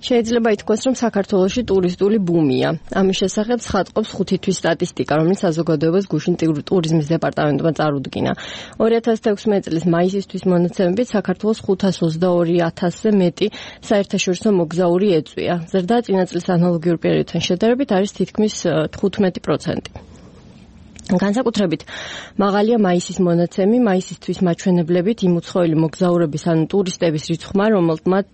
შეიძლება ითქვას, რომ საქართველოში ტურისტული ბუმია. ამის შესახებ ცხადყოფს 5 თვის სტატისტიკა, რომელიც საზოგადოებას გუშინ ტურიზმის დეპარტამენტმა წარუდგინა. 2016 წლის მაისისთვის მონაცემებით საქართველოს 522,000-ზე მეტი საერთაშორისო მოგზაური ეწვია. ზრდა წინა წლის ანალოგიურ პერიოდთან შედარებით არის თითქმის 15%. განსაკუთრებით მაღალია მაისის მონაცემი, მაისისთვის მაჩვენებლებით იმუცხოველი მოგზაურების ანუ ტურისტების რიცხვმა, რომლებმაც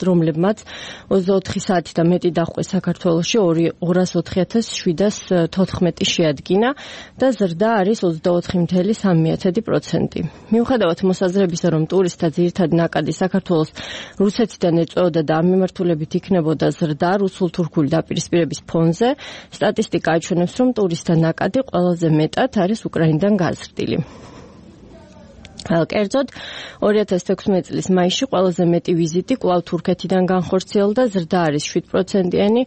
24 საათი და მეტი დაჰყვეს საქართველოში 204,714 შეადგინა და ზრდა არის 24,3%. მიუხედავად მოსაზრებისა, რომ ტურისტთა ძირითადი ნაკადი საქართველოს რუსეთიდან ეწვეოდა და ამ მიმართულებით იქნებოდა ზრდა რუსულ-თურქული დაპირისპირების ფონზე, სტატისტიკა აჩვენებს, რომ ტურისტთა ნაკადი ყველაზე მეტად არის უკრაინიდან გაზრდილი. კერძოდ 2016 წლის მაისში ყველაზე მეტი ვიზიტი კვლავ თურქეთიდან განხორციელდა, ზრდა არის 7%-იანი,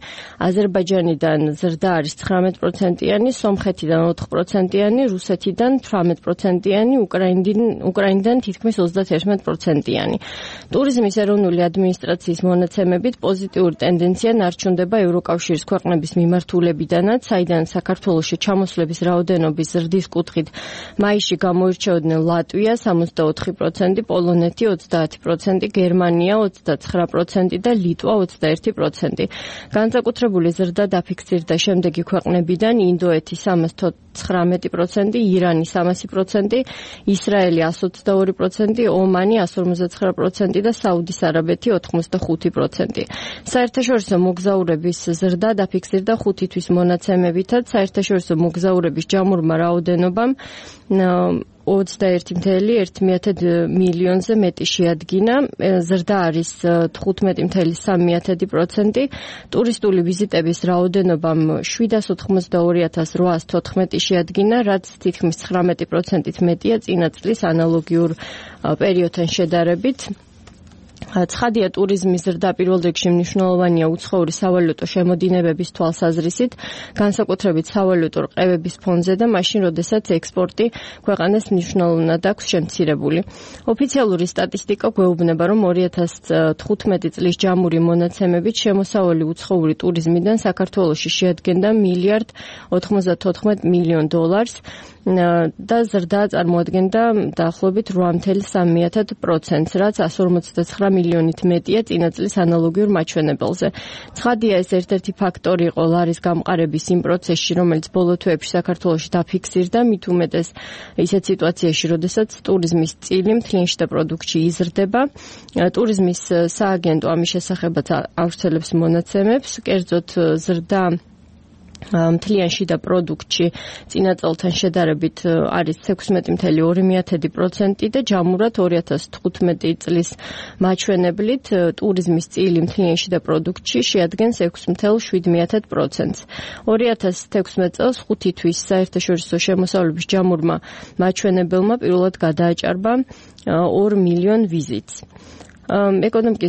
აზერბაიჯანიდან ზრდა არის 19%-იანი, სომხეთიდან 4%-იანი, რუსეთიდან 18%-იანი, უკრაინიდან თითქმის 31%-იანი. ტურიზმის ეროვნული ადმინისტრაციის მონაცემებით პოზიტიური ტენდენცია ნარჩუნდება ევროკავშირის ქვეყნების მიმართულებიდანაც, საიდან საქართველოში ჩამოსვლების რაოდენობის ზრდის კუთხით მაისში გამოირჩეოდნენ ლატვია 64%, პოლონეთი 30%, გერმანია 29% და ლიტვა 21%. განსაკუთრებული ზრდა დაფიქსირდა შემდეგი ქვეყნებიდან: ინდოეთი 319%, ირანი 300%, ისრაელი 122%, ომანი 159% და საუდის არაბეთი 85%. საერთაშორისო მოგზაურების ზრდა დაფიქსირდა 5 თვის მონაცემებითაც, საერთაშორისო მოგზაურების ჯამურმა რაოდენობამ 21,1 მილიონზე მეტი შეადგინა, ზრდა არის 15,3%, ტურისტული ვიზიტების რაოდენობამ 782,814 შეადგინა, რაც თითქმის 19%-ით მეტია წინა წლის ანალოგიურ პერიოდთან შედარებით. ცხადია, ტურიზმის ზრდა პირველ რიგში მნიშვნელოვანია უცხოური სავალუტო შემოდინებების თვალსაზრისით, განსაკუთრებით სავალუტო რყევების ფონზე და მაშინ, როდესაც ექსპორტი ქვეყანას მნიშვნელოვნად აქვს შემცირებული. ოფიციალური სტატისტიკა გვეუბნება, რომ 2015 წლის ჯამური მონაცემებით შემოსავალი უცხოური ტურიზმიდან საქართველოში შეადგენდა $1,94 მილიონ და ზრდა წარმოადგენდა დაახლოებით 8,3%, რაც 159 მილიონით მეტია წინა წლის ანალოგიურ მაჩვენებელზე. ცხადია, ეს ერთ-ერთი ფაქტორი იყო ლარის გამყარების იმ პროცესში, რომელიც ბოლო თვეებში საქართველოში დაფიქსირდა, მით უმეტეს ისეთ სიტუაციაში, როდესაც ტურიზმის წილი მთლიანში და პროდუქტში იზრდება. ტურიზმის სააგენტო ამის შესახებაც ავრცელებს მონაცემებს, კერძოდ ზრდა მთლიანში და პროდუქტში წინა წელთან შედარებით არის 16,2% და ჯამურად 2015 წლის მაჩვენებლით ტურიზმის წილი მთლიანში და პროდუქტში შეადგენს 6,7%. 2016 წელს 5 თვის საერთაშორისო შემოსავლების ჯამურმა მაჩვენებელმა პირველად გადააჭარბა 2 მილიონ ვიზიტს. ეკონომიკის